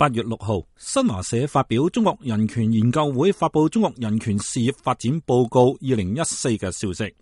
8月6號，新華社發表中國人權研究會發佈中國人權事業發展報告2014嘅消息。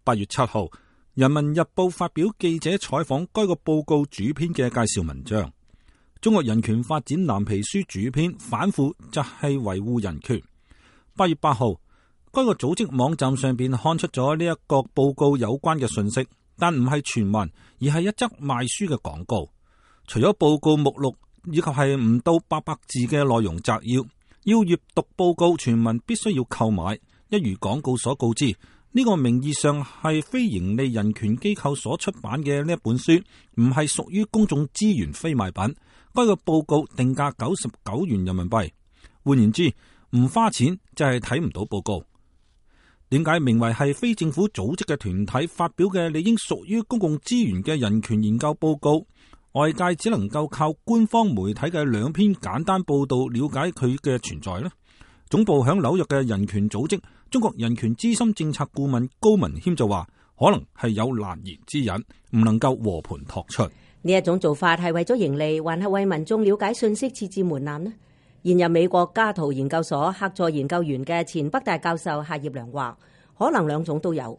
8月7號，人民日報發表記者採訪該個報告主編嘅介紹文章。中國人權發展藍皮書主編反腐就係維護人權。8月8號，該個組織網站上邊刊出咗呢一個報告有關嘅信息，但唔係全文，而係一則賣書嘅廣告。除咗報告目錄以及係唔到800字嘅內容摘要，要閱讀報告全文必須要購買。一如廣告所告知，呢個名義上係非營利人權機構所出版嘅呢一本書，唔係屬於公眾資源非賣品。該個報告定價99元人民幣，換言之，唔花錢就係睇唔到報告。點解名為係非政府組織嘅團體發表嘅理應屬於公共資源嘅人權研究報告，外界只能夠靠官方媒體嘅2篇簡單報道了解佢嘅存在呢？總部響紐約嘅人權組織中國人權資深政策顧問高文謙就話，可能係有難言之隱，唔能夠和盤托出。呢一種做法係為咗盈利，還係為民眾了解信息設置門檻呢？現任美國加圖研究所客座研究員嘅前北大教授夏業良話，可能2種都有。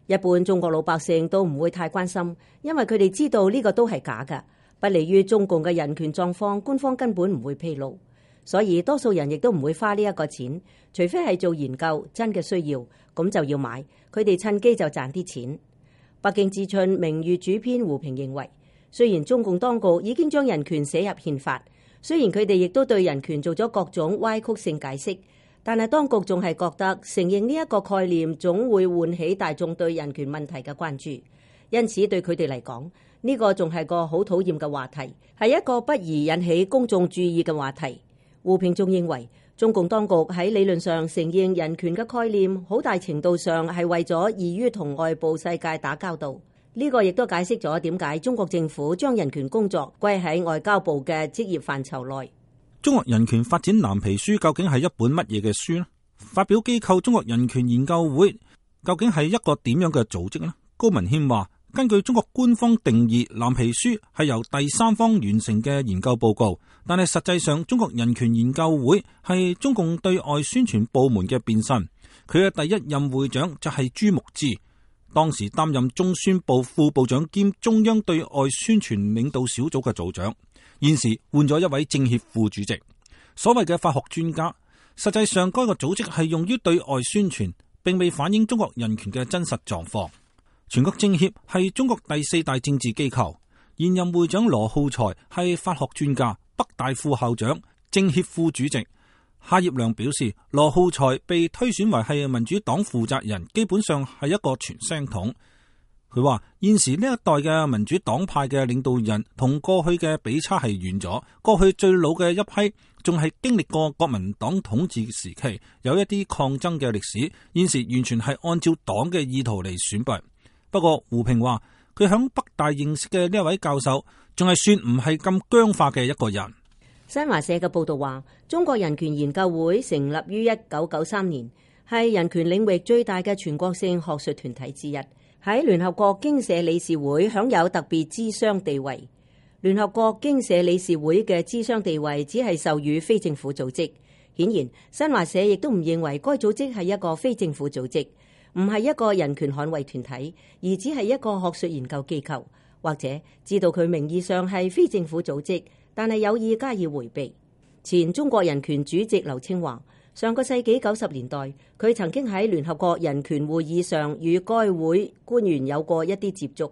一般中國老百姓都唔會太關心，因為佢哋知道呢個都係假嘅，不利於中共嘅人權狀況，官方根本唔會披露，所以多數人亦都唔會花呢一個錢，除非係做研究真嘅需要，咁就要買，佢哋趁機就賺啲錢。北京之春名譽主編胡平認為，雖然中共當局已經將人權寫入憲法，雖然佢哋亦都對人權做咗各種歪曲性解釋，但係當局仲係覺得承認呢一個概念總會喚起大眾對人權問題嘅關注，因此對佢哋嚟講，呢個仲係個好討厭嘅話題，係一個不宜引起公眾注意嘅話題。胡平仲認為，中共當局喺理論上承認人權嘅概念，好大程度上係為咗易於同外部世界打交道。呢個亦都解釋咗點解中國政府將人權工作歸喺外交部嘅職業範疇內。中國人權發展藍皮書究竟係一本乜嘢嘅書呢？發表機構中國人權研究會究竟係一個點樣嘅組織呢？高文謙話，根據中國官方定義，藍皮書係由第三方完成嘅研究報告，但係實際上中國人權研究會係中共對外宣傳部門嘅變身。佢嘅第一任會長就係朱牧之，當時擔任中宣部副部長兼中央對外宣傳領導小組嘅組長，現時換咗一位政協副主席。所謂嘅法學專家，實際上該個組織係用於對外宣傳，並未反映中國人權嘅真實狀況。全國政協係中國第4大政治機構，現任會長羅浩才係法學專家、北大副校長、政協副主席。夏業良表示，羅浩才被推選為係民主黨負責人，基本上係一個傳聲筒。佢話現時呢一代嘅民主黨派嘅領導人同過去嘅比差係遠咗，過去最老嘅一批仲係經歷過國民黨統治時期，有一啲抗爭嘅歷史，現時完全係按照黨嘅意圖嚟選拔。不過胡平話，佢響北大認識嘅呢一位教授仲係算唔係咁僵化嘅一個人。新華社嘅報道話，中國人權研究會成立於1993年，係人權領域最大嘅全國性學術團體之一，喺聯合國經社理事會享有特別諮商地位。聯合國經社理事會嘅諮商地位只係授予非政府組織。顯然，新華社亦都唔認為該組織係一個非政府組織，唔係一個人權捍衛團體，而只係一個學術研究機構，或者知道佢名義上係非政府組織，但係有意加以迴避。前中國人權主席劉青話，上個世紀90年代，佢曾經喺聯合國人權會議上與該會官員有過一啲接觸。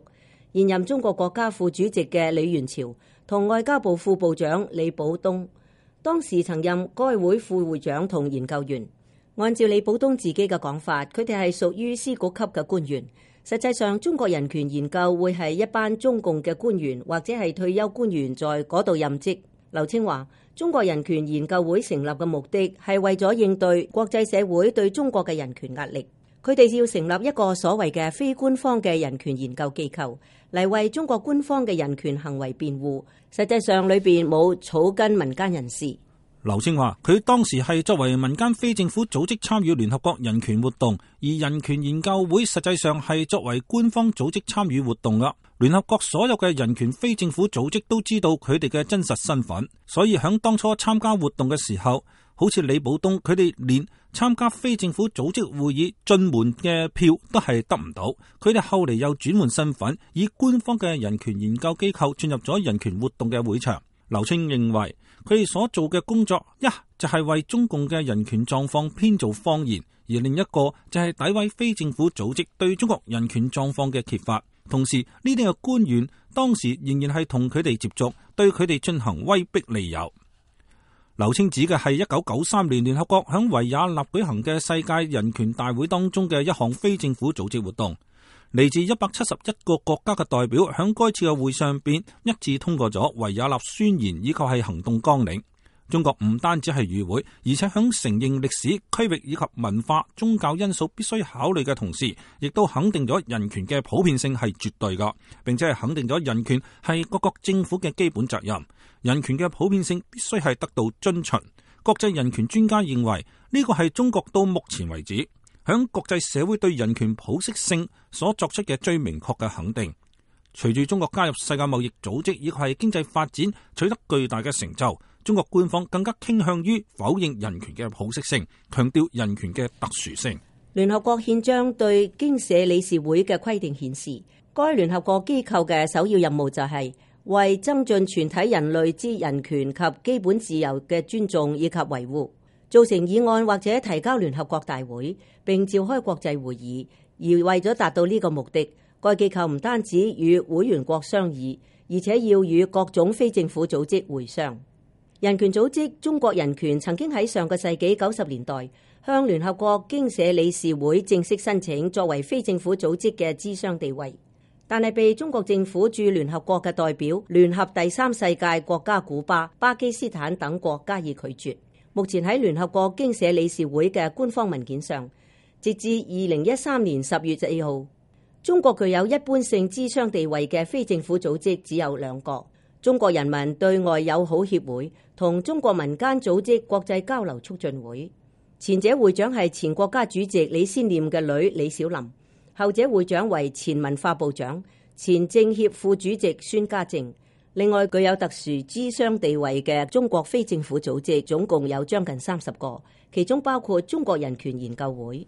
現任中國國家副主席嘅李源潮同外交部副部長李保東，當時曾任該會副會長同研究員。按照李保東自己嘅講法，佢哋係屬於司局級嘅官員。實際上，中國人權研究會係一班中共嘅官員或者係退休官員在嗰度任職。劉青話，中國人權研究會成立嘅目的係為咗應對國際社會對中國嘅人權壓力，佢哋要成立一個所謂嘅非官方嘅人權研究機構嚟為中國官方嘅人權行為辯護。實際上裏邊冇草根民間人士。劉青話佢當時係作為民間非政府組織參與聯合國人權活動，而人權研究會實際上係作為官方組織參與活動噶。聯合國所有嘅人權非政府組織都知道佢哋嘅真實身份，所以響當初參加活動嘅時候，好似李寶東佢哋連參加非政府組織會議進門嘅票都係得唔到。佢哋後嚟又轉換身份，以官方嘅人權研究機構進入咗人權活動嘅會場。劉青認為佢哋所做嘅工作，一就係為中共嘅人權狀況編造謊言，而另一個就係詆毀非政府組織對中國人權狀況嘅揭發。同時呢啲嘅官員當時仍然係同佢哋接觸，對佢哋進行威逼利誘。劉青指嘅係1993年聯合國響維也納舉行嘅世界人權大會當中嘅一項非政府組織活動。嚟自171個國家嘅代表響該次嘅會上邊一致通過咗維也納宣言以及係行動綱領。中國唔單止係與會，而且響承認歷史、區域以及文化、宗教因素必須考慮嘅同時，亦都肯定咗人權嘅普遍性係絕對噶，並且係肯定咗人權係各國政府嘅基本責任。人權嘅普遍性必須係得到遵循。國際人權專家認為呢個係中國到目前為止響國際社會對人權普適性所作出嘅最明確嘅肯定。隨住中國加入世界貿易組織以及係經濟發展取得巨大嘅成就，中國官方更加傾向於否認人權嘅普適性，強調人權嘅特殊性。聯合國憲章對經社理事會嘅規定顯示，該聯合國機構嘅首要任務就係為增進全體人類之人權及基本自由嘅尊重以及維護，造成議案或者提交聯合國大會，並召開國際會議。而為咗達到呢個目的，該機構唔單止與會員國商議，而且要與各種非政府組織會商。人權組織中國人權曾經喺上個世紀90年代向聯合國經社理事會正式申請作為非政府組織嘅諮商地位，但係被中國政府駐聯合國嘅代表聯合第三世界國家古巴、巴基斯坦等國加以拒絕。目前喺聯合國經社理事會嘅官方文件上，截至2013年10月4號，中國具有一般性諮商地位嘅非政府組織只有2個：中國人民對外友好協會同中國民間組織國際交流促進會。前者會長係前國家主席李先念嘅女李小琳，後者會長為前文化部長、前政協副主席孫家正。另外，具有特殊諮商地位嘅中國非政府組織總共有將近30個，其中包括中國人權研究會。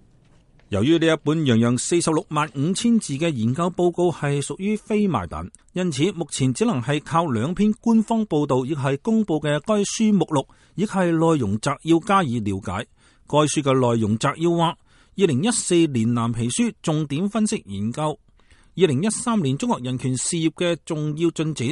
由於呢一本洋洋465000字嘅研究報告係屬於非賣品，因此目前只能係靠2篇官方報道，亦係公布嘅該書目錄，亦係內容摘要加以了解。該書嘅內容摘要話：2014年藍皮書重點分析研究2013年中國人權事業嘅重要進展，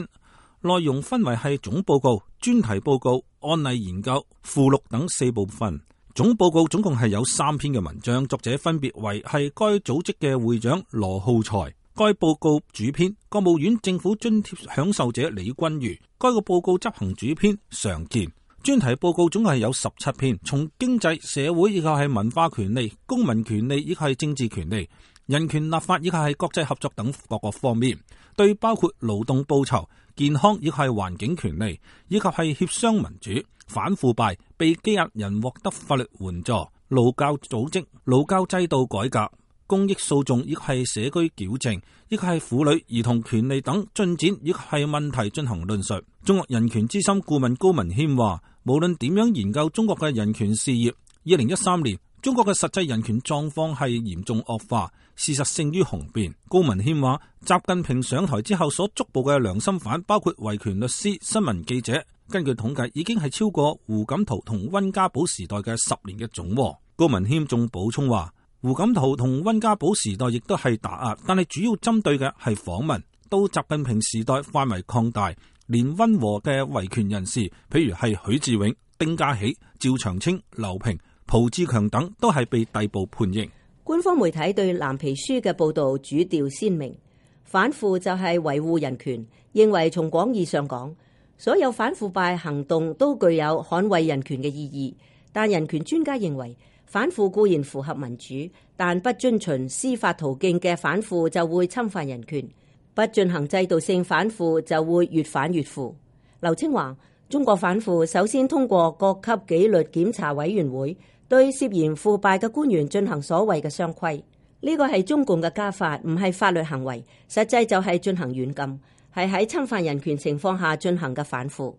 內容分為係總報告、專題報告、案例研究、附錄等4部分。總報告總共係有3篇嘅文章，作者分別為係該組織嘅會長羅浩才，該報告主編國務院政府津貼享受者李君如，該個報告執行主編常健。專題報告總共係有17篇，從經濟、社會以及係文化權利、公民權利以及係政治權利、人權立法以及係國際合作等各個方面，對包括勞動報酬、健康以及係環境權利以及係協商民主、反腐敗、被羈押人獲得法律援助、勞教組織、勞教制度改革、公益訴訟以及係社區矯正，以及係婦女兒童權利等進展以及係問題進行論述。中國人權資深顧問高文謙話：無論點樣研究中國嘅人權事業，2013年中國嘅實際人權狀況係嚴重惡化，事實勝於雄辯。高文謙話：習近平上台之後所捉捕嘅良心犯，包括維權律師、新聞記者，根據統計已經係超過胡錦濤同溫家寶時代嘅10年嘅總和。高文謙仲補充話：胡錦濤同溫家寶時代亦都係打壓，但係主要針對嘅係訪民。到習近平時代範圍擴大，連溫和嘅維權人士，譬如係許志永、丁家喜、趙長青、劉平、蒲志強等，都係被逮捕判刑。官方媒體對藍皮書嘅報導主調鮮明，反腐就係維護人權，認為從廣義上講，所有反腐敗行動都具有捍衛人權嘅意義。但人權專家認為，反腐固然符合民主，但不遵循司法途徑嘅反腐就會侵犯人權，不進行制度性反腐就會越反越腐。劉青話：中國反腐首先通過各級紀律檢查委員會對涉嫌腐敗嘅官員進行所謂嘅雙規，呢個係中共嘅家法，唔係法律行為，實際就係進行軟禁，係喺侵犯人權情況下進行嘅反腐。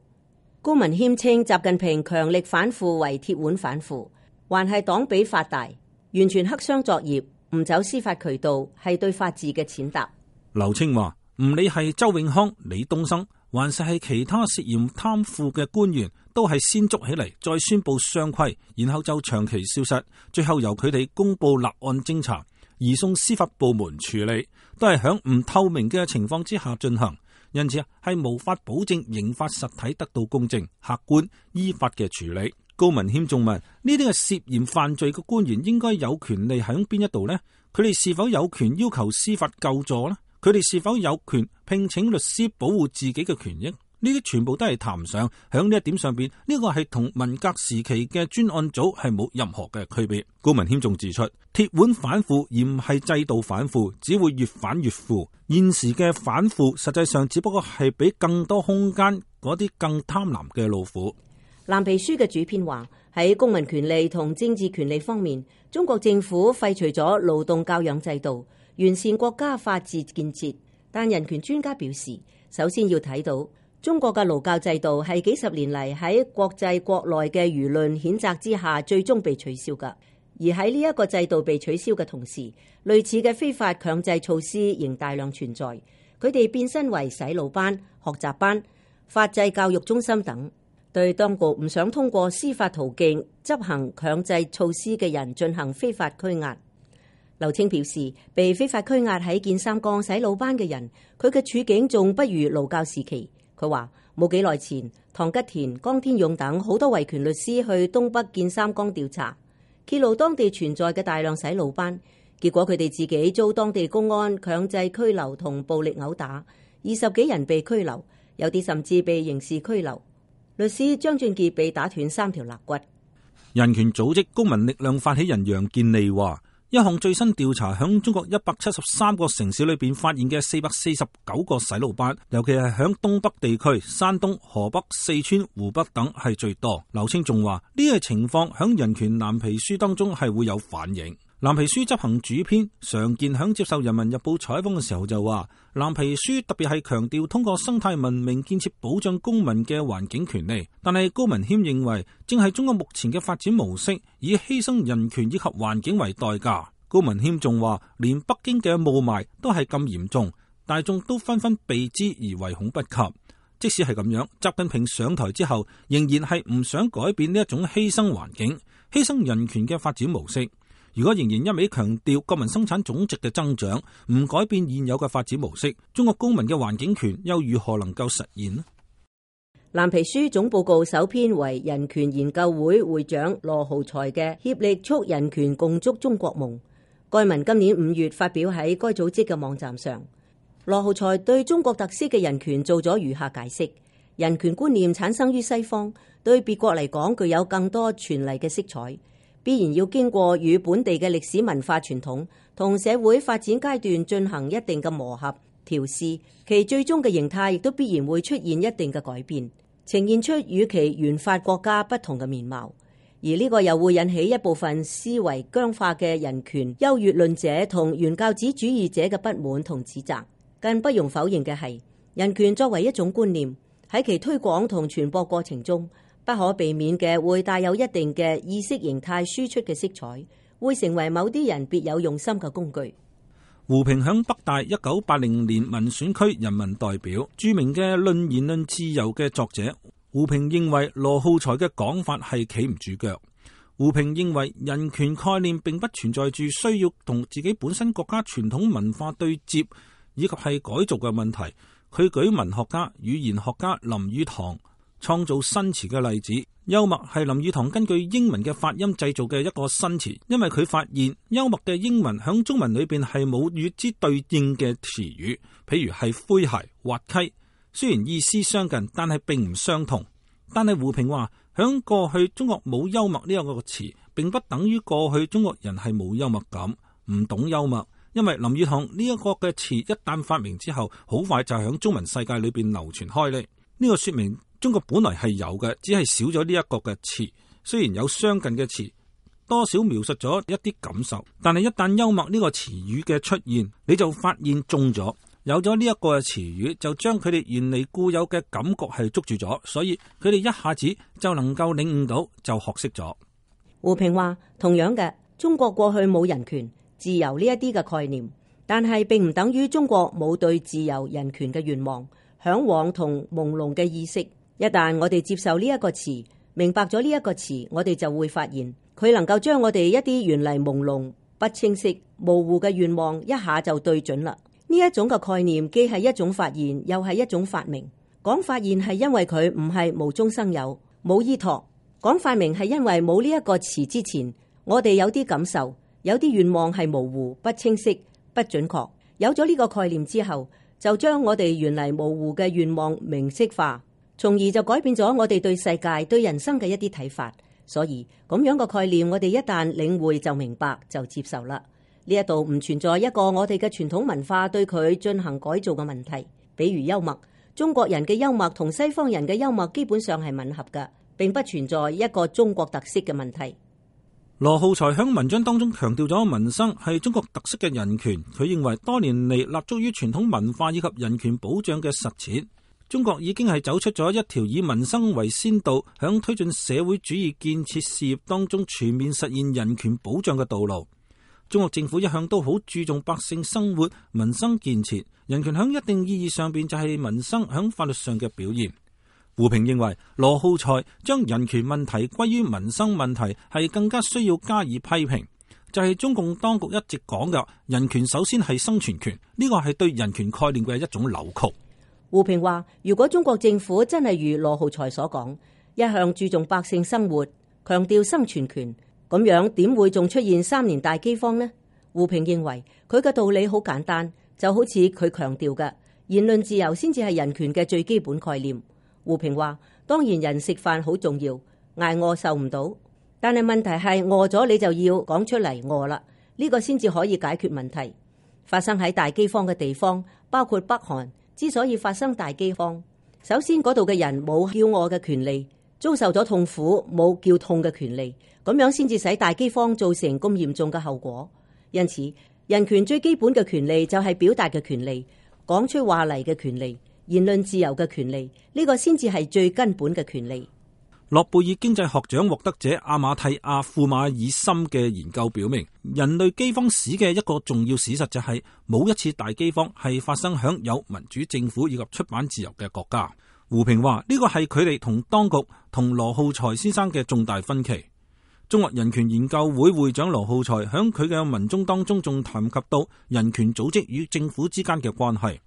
高文謙稱習近平強力反腐為鐵腕反腐，還係黨比法大，完全黑箱作業，唔走司法渠道，係對法治嘅踐踏。劉青話：唔理係周永康、李東生，還是係其他涉嫌貪腐嘅官員，都係先捉起嚟，再宣布雙規，然後就長期消失，最後由佢哋公布立案偵查，移送司法部門處理，都係響唔透明嘅情況之下進行，因此係無法保證刑法實體得到公正、客觀、依法嘅處理。高文謙仲問：呢啲係涉嫌犯罪嘅官員應該有權利喺邊一度呢？佢哋是否有權要求司法救助呢？佢哋是否有權聘請律師保護自己嘅權益？呢啲全部都係談上，響呢一點上邊，呢個係同文革時期嘅專案組係冇任何嘅區別。高文謙仲指出，鐵腕反腐而唔係制度反腐，只會越反越腐。現時嘅反腐實際上只不過係俾更多空間嗰啲更貪婪嘅老虎。藍皮書嘅主編話，喺公民權利同政治權利方面，中國政府廢除咗勞動教養制度，完善國家法治建設。但人權專家表示，首先要睇到中國嘅勞教制度係幾十年嚟喺國際國內嘅輿論譴責之下，最終被取消㗎。而喺呢一個制度被取消嘅同時，類似嘅非法強制措施仍大量存在。佢哋變身為洗腦班、學習班、法制教育中心等，對當局唔想通過司法途徑執行強制措施嘅人進行非法拘押。劉青表示，被非法拘押喺建三江洗腦班嘅人，佢嘅處境仲不如勞教時期。佢話冇幾耐前，唐吉田、江天勇等好多維權律師去東北建三江調查，揭露當地存在嘅大量洗腦班，結果佢哋自己遭當地公安強制拘留同暴力毆打，20幾人被拘留，有啲甚至被刑事拘留。律師張俊傑被打斷3條肋骨。人權組織公民力量發起人楊建利話，一項最新調查響中國173個城市裏邊發現嘅449個洗腦班，尤其係響東北地區，山東、河北、四川、湖北等係最多。劉青仲話，呢個情況響人權藍皮書當中係會有反映。藍皮書執行主編常健響接受人民日報採訪嘅時候就話，藍皮書特別係強調通過生態文明建設保障公民嘅環境權利，但係高文謙認為正係中國目前嘅發展模式，以犧牲人權以及環境為代價。高文謙仲話，連北京嘅霧霾都係咁嚴重，大眾都紛紛避之而唯恐不及。即使係咁樣，習近平上台之後仍然係唔想改變呢一種犧牲環境、犧牲人權嘅發展模式。如果仍然一味強調國民生產總值嘅增長，唔改變現有嘅發展模式，中國公民嘅環境權又如何能夠實現呢？藍皮書總報告首編為人權研究會會長羅浩才嘅協力促人權共築中國夢。該文今年5月發表喺該組織嘅網站上。羅浩才對中國特色嘅人權做咗如下解釋：人權觀念產生於西方，對別國嚟講具有更多傳嚟嘅色彩，必然要經過與本地嘅歷史文化傳統同社會發展階段進行一定嘅磨合調試，其最終嘅形態亦都必然會出現一定嘅改變，呈現出與其原發國家不同嘅面貌。而呢個又會引起一部分思維僵化嘅人權優越論者同原教旨主義者嘅不滿同指責。更不容否認嘅係，人權作為一種觀念，喺其推廣同傳播過程中，不可避免嘅會帶有一定嘅意識形態輸出嘅色彩，會成為某啲人別有用心嘅工具。胡平響北大1980年民選區人民代表，著名嘅論言論自由嘅作者胡平認為羅浩才嘅講法係企唔住腳。胡平認為人權概念並不存在住需要同自己本身國家傳統文化對接以及係改造嘅問題。佢舉文學家、語言學家林語堂創造新詞嘅例子，幽默係林語堂根據英文嘅發音製造嘅一個新詞，因為佢發現幽默嘅英文響中文裏邊係冇與之對應嘅詞語，譬如係詼諧、滑稽，雖然意思相近，但係並唔相同。但係胡平話，響過去中國冇幽默呢一個詞，並不等於過去中國人係冇幽默感，唔懂幽默。因為林語堂呢一個嘅詞一旦發明之後，好快就係響中文世界裏邊流傳開嚟。呢個說明中國本來係有嘅，只係少咗呢一個嘅詞。雖然有相近嘅詞，多少描述咗一啲感受，但係一旦幽默呢個詞語嘅出現，你就發現中咗。有咗呢一個詞語，就將佢哋原嚟固有嘅感覺係捉住咗，所以佢哋一下子就能夠領悟到，就學識咗。胡平話，同樣嘅，中國過去冇人權、自由呢一啲嘅概念，但係並唔等於中國冇對自由、人權嘅願望、向往同朦朧嘅意識。一旦我哋接受呢一個詞，明白咗呢一個詞，我哋就會發現佢能夠將我哋一啲原嚟朦朧、不清晰、模糊嘅願望一下就對準啦。呢一種嘅概念既係一種發現，又係一種發明。講發現係因為佢唔係無中生有、冇依託；講發明係因為冇呢一個詞之前，我哋有啲感受、有啲願望係模糊、不清晰、不準確。有咗呢個概念之後，就將我哋原嚟模糊嘅願望明晰化，從而就改變咗我哋對世界、對人生嘅一啲睇法。所以咁樣嘅概念，我哋一旦領會就明白就接受啦。呢一度唔存在一個我哋嘅傳統文化對佢進行改造嘅問題。比如幽默，中國人嘅幽默同西方人嘅幽默基本上係吻合嘅，並不存在一個中國特色嘅問題。羅浩才喺文章當中強調咗民生係中國特色嘅人權。佢認為多年嚟立足於傳統文化以及人權保障嘅實踐，中國已經係走出咗一條以民生為先導，響推進社會主義建設事業當中全面實現人權保障嘅道路。中國政府一向都好注重百姓生活、民生建設，人權響一定意義上邊就係民生響法律上嘅表現。胡平認為羅浩才將人權問題歸於民生問題係更加需要加以批評，就係中共當局一直講嘅人權首先係生存權，呢個係對人權概念嘅一種扭曲。胡平話，如果中國政府真係如羅浩才所講，一向注重百姓生活，強調生存權，咁樣點會仲出現3年大饑荒呢？胡平認為佢嘅道理好簡單，就好似佢強調嘅言論自由先至係人權嘅最基本概念。胡平話，當然人食飯好重要，挨餓受唔到，但係問題係餓咗你就要講出嚟餓啦，呢個先至可以解決問題。發生喺大饑荒嘅地方，包括北韓，之所以發生大饑荒，首先嗰度嘅人冇叫餓嘅權利，遭受咗痛苦冇叫痛嘅權利，咁樣先至使大饑荒造成咁嚴重嘅後果。因此，人權最基本嘅權利就係表達嘅權利，講出話嚟嘅權利，言論自由嘅權利，呢個先至係最根本嘅權利。諾貝爾經濟學獎獲得者阿馬蒂亞庫馬爾森嘅研究表明，人類饑荒史嘅一個重要事實就係冇一次大饑荒係發生響有民主政府以及出版自由嘅國家。胡平話呢個係佢哋同當局同羅浩才先生嘅重大分歧。中國人權研究會會長羅浩才響佢嘅文中當中仲談及到人權組織與政府之間嘅關係。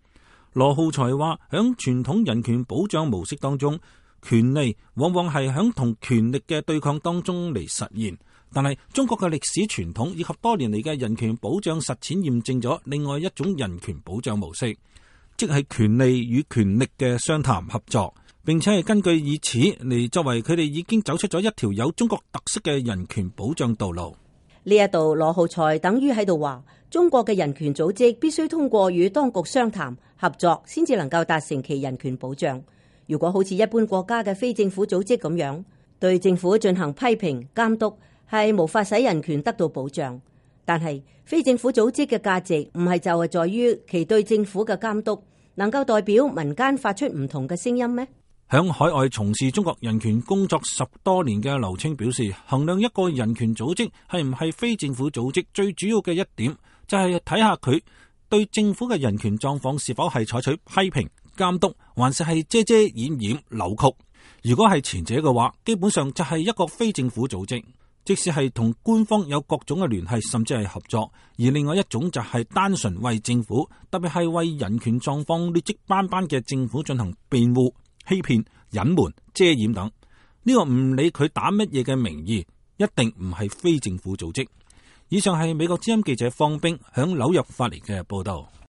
羅浩才話響傳統人權保障模式當中，權利往往係響同權力嘅對抗當中嚟實現，但係中國嘅歷史傳統以及多年嚟嘅人權保障實踐驗證咗另外一種人權保障模式，即係權利與權力嘅商談合作，並且係根據以此嚟作為佢哋已經走出咗一條有中國特色嘅人權保障道路。呢一度羅浩才等於喺度話，中國嘅人權組織必須通過與當局商談合作，先至能夠達成其人權保障。如果好似一般國家嘅非政府組織咁樣，對政府進行批評監督，係無法使人權得到保障。但係非政府組織嘅價值唔係就係在於其對政府嘅監督能夠代表民間發出唔同嘅聲音咩？響海外從事中國人權工作10多年嘅劉青表示，衡量一個人權組織係唔係非政府組織，最主要嘅一點就係睇下佢對政府嘅人權狀況是否係採取批評監督，還是係遮遮掩掩扭曲。如果係前者嘅話，基本上就係一個非政府組織，即使係同官方有各種嘅聯繫，甚至係合作。而另外一種就係單純為政府，特別係為人權狀況劣跡斑斑嘅政府進行辯護、欺騙、隱瞞、遮掩等。呢個唔理佢打乜嘢嘅名義，一定唔係非政府組織。以上係美國之音記者方冰響紐約發嚟嘅報道。